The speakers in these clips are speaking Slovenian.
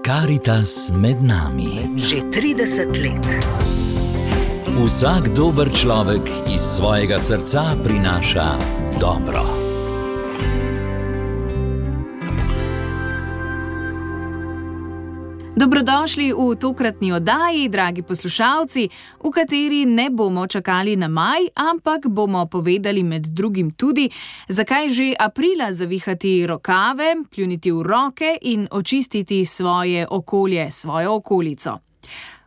Karitas med nami. Že 30 let. Vsak dober človek iz svojega srca prinaša dobro. Dobrodošli v tokratni oddaji, dragi poslušalci, v kateri ne bomo čakali na maj, ampak bomo povedali med drugim tudi, zakaj že aprila zavihati rokave, pljuniti v roke in očistiti svoje okolje, svojo okolico.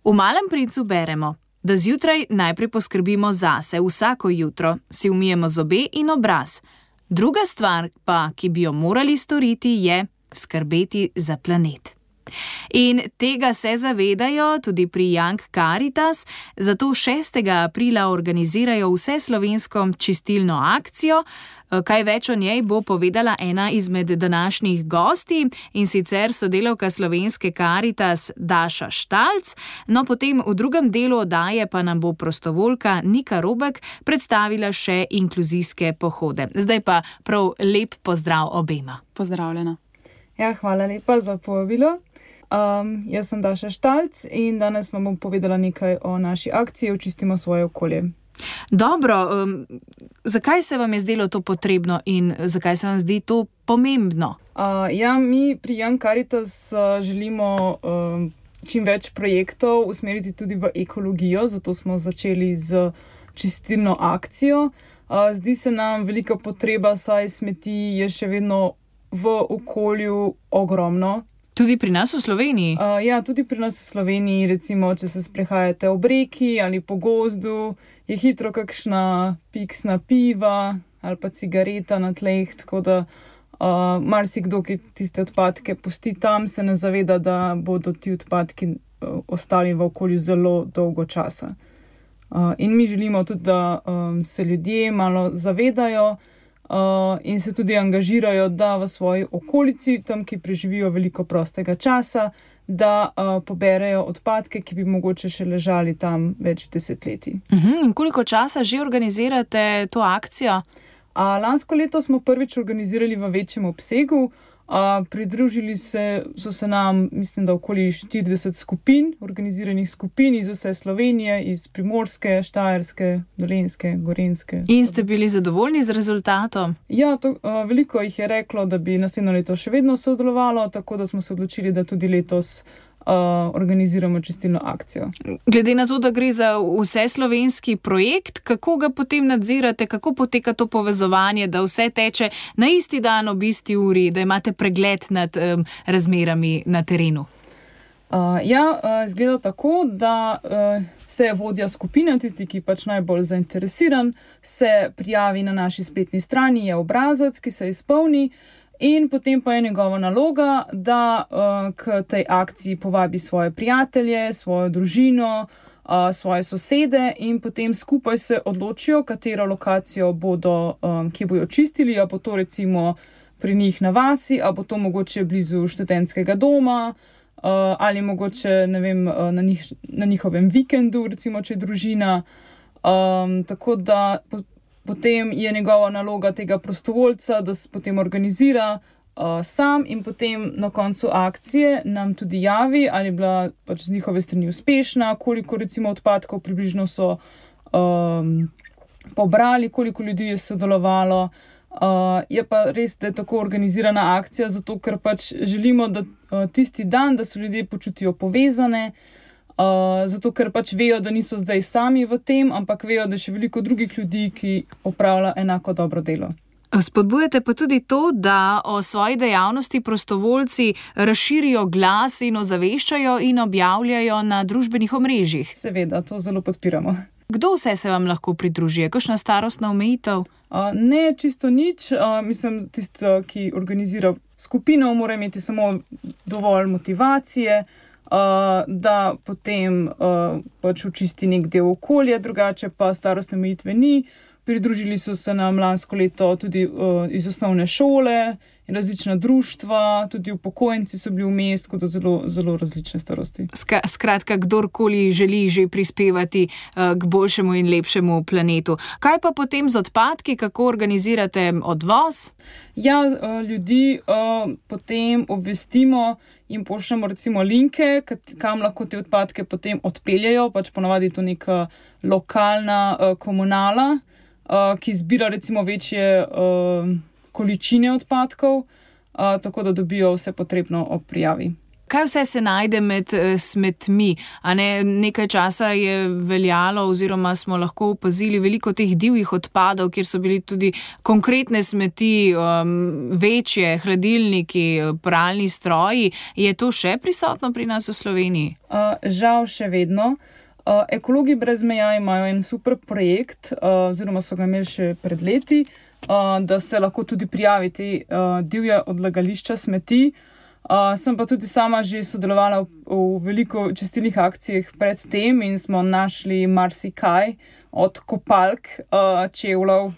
V Malem princu beremo, da zjutraj najprej poskrbimo zase, vsako jutro si umijemo zobe in obraz. Druga stvar pa, ki bi jo morali storiti, je skrbeti za planet. In tega se zavedajo tudi pri Young Caritas, zato 6. aprila organizirajo vseslovensko čistilno akcijo. Kaj več o njej bo povedala ena izmed današnjih gosti, in sicer sodelavka Slovenske Caritas Daša Štalc. No, potem v drugem delu oddaje pa nam bo prostovoljka Nika Robek predstavila še inkluzijske pohode. Zdaj pa prav lep pozdrav obema. Pozdravljena. Ja, hvala lepa za povabilo. Jaz sem Daša Štalc in danes vam bom povedala nekaj o naši akciji Očistimo svoje okolje. Dobro, zakaj se vam je zdelo to potrebno in zakaj se vam zdi to pomembno? Mi pri Young Caritas želimo čim več projektov usmeriti tudi v ekologijo, zato smo začeli z čistilno akcijo. Zdi se nam velika potreba, saj smeti je še vedno v okolju ogromno. Tudi pri nas v Sloveniji? Tudi pri nas v Sloveniji, recimo, če se sprehajate ob reki ali po gozdu, je hitro kakšna piksna piva ali pa cigareta na tleh, tako da marsikdo, ki tiste odpadke pusti tam, se ne zaveda, da bodo ti odpadki ostali v okolju zelo dolgo časa. In mi želimo tudi, da se ljudje malo zavedajo, in se tudi angažirajo, da v svoji okolici, tam, ki preživijo veliko prostega časa, da poberejo odpadke, ki bi mogoče še ležali tam več desetletij. In koliko časa že organizirate to akcijo? Lansko leto smo prvič organizirali v večjem obsegu. Pridružili so se nam, mislim, da okoli 40 skupin, organiziranih skupin iz vse Slovenije, iz Primorske, Štajerske, Dolenjske, Gorenjske. In ste bili zadovoljni z rezultatom? Ja, veliko jih je reklo, da bi naslednjo leto še vedno sodelovalo, tako da smo se odločili, da tudi letos organiziramo čistilno akcijo. Glede na to, da gre za vseslovenski projekt, kako ga potem nadzirate, kako poteka to povezovanje, da vse teče na isti dan ob isti uri, da imate pregled nad razmerami na terenu? Izgleda tako, da se vodja skupine, tisti, ki pač najbolj zainteresiran, se prijavi na naši spletni strani, je obrazac, ki se izpolni. In potem pa je njegova naloga, da k tej akciji povabi svoje prijatelje, svojo družino, svoje sosede in potem skupaj se odločijo, katero lokacijo bodo, kje bojo čistili, a bo to recimo pri njih na vasi, a bo to mogoče blizu študentskega doma, ali mogoče, ne vem, na njihovem vikendu, recimo, če je družina. Tako da potem je njegova naloga tega prostovoljca, da se potem organizira sam in potem na koncu akcije nam tudi javi, ali je bila pač z njihove strani uspešna, koliko recimo odpadkov približno so pobrali, koliko ljudi je sodelovalo. Je pa res, da je tako organizirana akcija, zato ker pač želimo, da tisti dan, da se ljudje počutijo povezane, zato ker pač vejo, da niso zdaj sami v tem, ampak vejo, da je še veliko drugih ljudi, ki opravlja enako dobro delo. Spodbujate pa tudi to, da o svoji dejavnosti prostovoljci razširijo glas in ozaveščajo in objavljajo na družbenih omrežjih. Seveda, to zelo podpiramo. Kdo vse se vam lahko pridruži? Kakšna starostna omejitev? Ne, čisto nič. Mislim, tisti, ki organizira skupino, mora imeti samo dovolj motivacije, da potem pač očisti nek del okolja, drugače pa starostne omejitve ni. Pridružili so se nam lansko leto tudi iz osnovne šole različna društva, tudi upokojenci so bili vmes, tako da zelo, zelo različne starosti. Skratka, kdorkoli želi že prispevati k boljšemu in lepšemu planetu. Kaj pa potem z odpadki, kako organizirate odvoz? Ja, ljudi potem obvestimo in pošljemo recimo linke, kam lahko te odpadke potem odpeljajo, pač ponavadi to neka lokalna komunala, ki zbira recimo večje količine odpadkov, tako da dobijo vse potrebno ob prijavi. Kaj vse se najde med smetmi? Nekaj časa je veljalo oziroma smo lahko opazili veliko teh divjih odpadov, kjer so bili tudi konkretne smeti, večje, hladilniki, pralni stroji. Je to še prisotno pri nas v Sloveniji? Žal še vedno. Ekologi brez meja imajo en super projekt, oziroma so ga imeli še pred leti, da se lahko tudi prijavi te divje odlagališča smeti. Sem pa tudi sama že sodelovala v veliko čistilnih akcijah pred tem in smo našli marsikaj od kopalk, čevljev.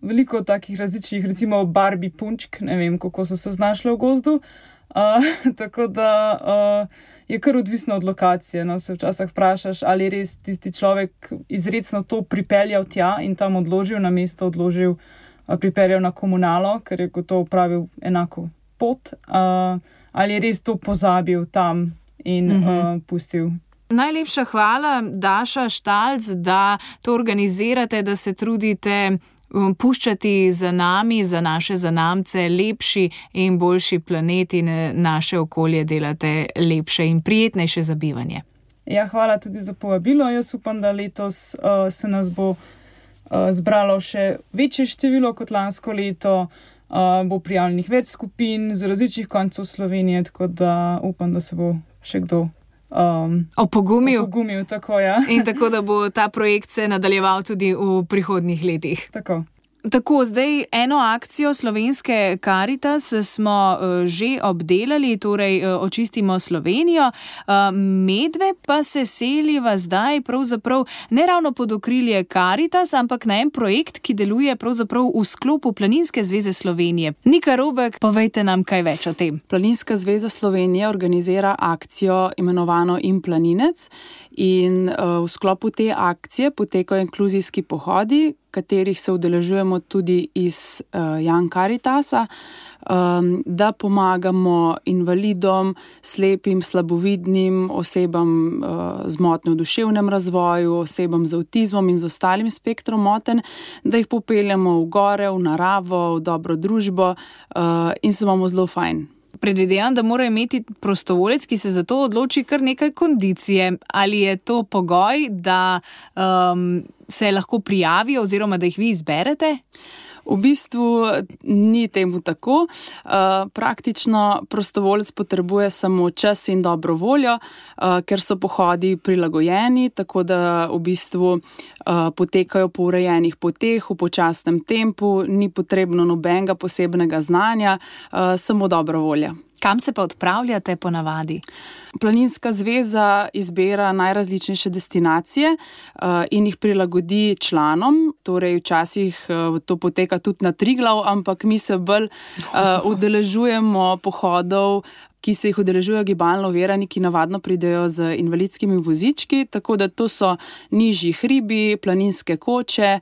Veliko takih različnih, recimo Barbie punčk, ne vem, kako so se znašle v gozdu. Tako da je kar odvisno od lokacije. No, se včasih vprašaš, ali je res tisti človek izrecno to pripeljal tja in tam odložil, na mesto odložil, pripeljal na komunalo, ker je gotovo pravil enako pot, ali je res to pozabil tam in pustil. Najlepša hvala, Daša Štalc, da to organizirate, da se trudite puščati za nami, za naše zanamce lepši in boljši planet in naše okolje delate lepše in prijetnejše za bivanje. Ja, hvala tudi za povabilo. Jaz upam, da letos se nas bo zbralo še večje število kot lansko leto, bo prijavljenih več skupin z različnih koncev Slovenije, tako da upam, da se bo še kdo opogumil, tako, ja. In tako, da bo ta projekt se nadaljeval tudi v prihodnjih letih. Tako, zdaj eno akcijo Slovenske Karitas smo že obdelali, torej Očistimo Slovenijo. Medve pa se seliva zdaj pravzaprav ne ravno pod okrilje Karitas, ampak na en projekt, ki deluje pravzaprav v sklopu Planinske zveze Slovenije. Nika Robek, povejte nam kaj več o tem. Planinska zveza Slovenije organizira akcijo imenovano In planinec in v sklopu te akcije potekajo inkluzijski pohodi, katerih se udeležujemo tudi iz Young Caritasa, da pomagamo invalidom, slepim, slabovidnim, osebam z motnjo v duševnem razvoju, osebam z avtizmom in z ostalim spektrom motenj, da jih popeljemo v gore, v naravo, v dobro družbo in se bomo zelo fajn. Predvidevam, da mora imeti prostovoljec, ki se za to odloči, kar nekaj kondicije. Ali je to pogoj, da se lahko prijavijo oziroma da jih vi izberete? V bistvu ni temu tako. Praktično prostovoljec potrebuje samo čas in dobro voljo, ker so pohodi prilagojeni, tako da v bistvu potekajo po urejenih poteh, v počasnem tempu, ni potrebno nobenega posebnega znanja, samo dobro volja. Kam se pa odpravljate po navadi? Planinska zveza izbira najrazličnejše destinacije in jih prilagodi članom, torej včasih to poteka tudi na Triglav, ampak mi se bolj udeležujemo pohodov, ki se jih udeležujejo gibalno ovirani, ki navadno pridejo z invalidskimi vozički, tako da to so nižji hribi, planinske koče,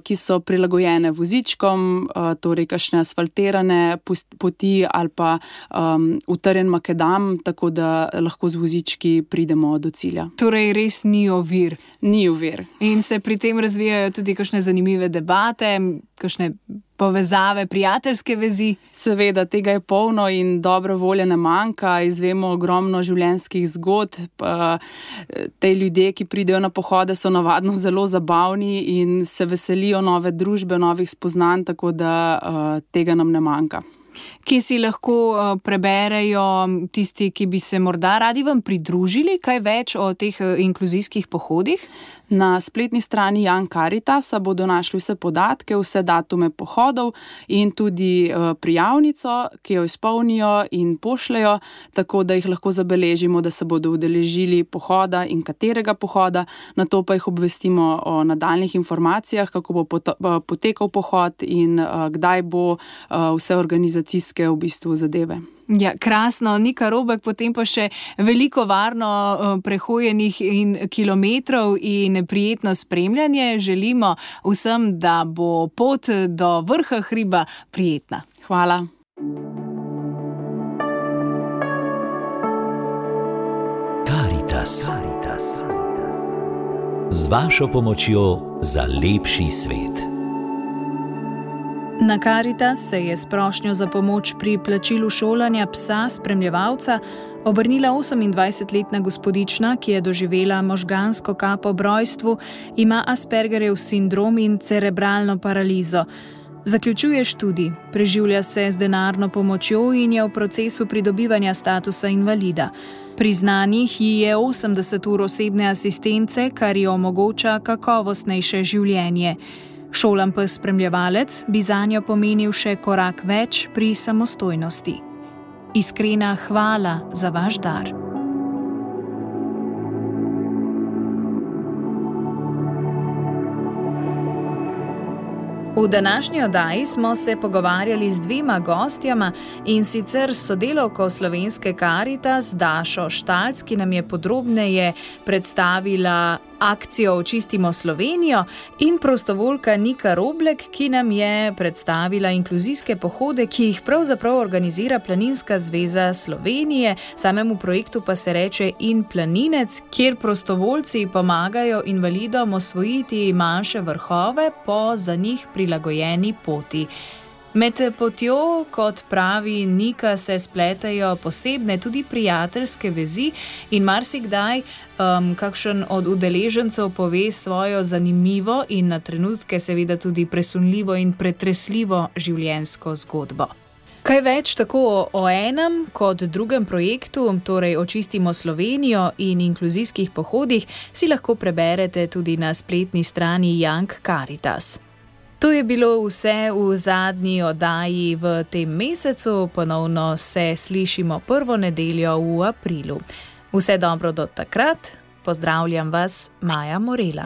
ki so prilagojene vozičkom, torej kakšne asfaltirane poti ali pa utrjen makedam, tako da lahko z vozički pridemo do cilja. Torej res ni ovir. Ni ovir. In se pri tem razvijajo tudi kakšne zanimive debate, kakšne povezave, prijateljske vezi? Seveda, tega je polno in dobre volje ne manjka. Izvemo ogromno življenjskih zgodb. Te ljudje, ki pridejo na pohode, so navadno zelo zabavni in se veselijo nove družbe, novih spoznanj, tako da tega nam ne manjka. Kje si lahko preberejo tisti, ki bi se morda radi vam pridružili? Kaj več o teh inkluzijskih pohodih? Na spletni strani Young Caritasa bodo našli vse podatke, vse datume pohodov in tudi prijavnico, ki jo izpolnijo in pošljajo, tako da jih lahko zabeležimo, da se bodo udeležili pohoda in katerega pohoda, nato pa jih obvestimo o nadaljnjih informacijah, kako bo potekal pohod in kdaj bo vse organizacijske v bistvu zadeve. Ja, krasno, Nika Robek, potem pa še veliko varno prehojenih in kilometrov in prijetno spremljanje. Želimo vsem, da bo pot do vrha hriba prijetna. Hvala. Caritas. Z vašo pomočjo za lepši svet. Na Caritas se je s prošnjo za pomoč pri plačilu šolanja psa spremljevalca obrnila 28-letna gospodična, ki je doživela možgansko kap ob rojstvu, ima Aspergerjev sindrom in cerebralno paralizo. Zaključuje študij, preživlja se z denarno pomočjo in je v procesu pridobivanja statusa invalida. Priznanih ji je 80 ur osebne asistence, kar ji omogoča kakovostnejše življenje. Šolan pes spremljevalec bi zanjo pomenil še korak več pri samostojnosti. Iskrena hvala za vaš dar. V današnji oddaji smo se pogovarjali z dvema gostjama, in sicer s sodelavko slovenske Caritas Dašo Štalc, ki nam je podrobneje predstavila akcijo Očistimo Slovenijo, in prostovoljka Nika Roblek, ki nam je predstavila inkluzijske pohode, ki jih pravzaprav organizira Planinska zveza Slovenije, samemu projektu pa se reče In planinec, kjer prostovoljci pomagajo invalidom osvojiti manjše vrhove po za njih prilagojeni poti. Med potjo, kot pravi Nika, se spletajo posebne, tudi prijateljske vezi in marsikdaj kakšen od udeležencev pove svojo zanimivo in na trenutke seveda tudi presunljivo in pretresljivo življenjsko zgodbo. Kaj več tako o enem kot drugem projektu, torej Očistimo Slovenijo in inkluzijskih pohodih, si lahko preberete tudi na spletni strani Young Caritas. To je bilo vse v zadnji oddaji v tem mesecu, ponovno se slišimo prvo nedeljo v aprilu. Vse dobro do takrat, pozdravljam vas, Maja Morela.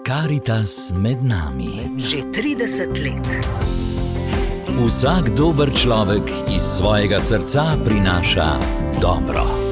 Caritas med nami. Že 30 let. Vsak dober človek iz svojega srca prinaša dobro.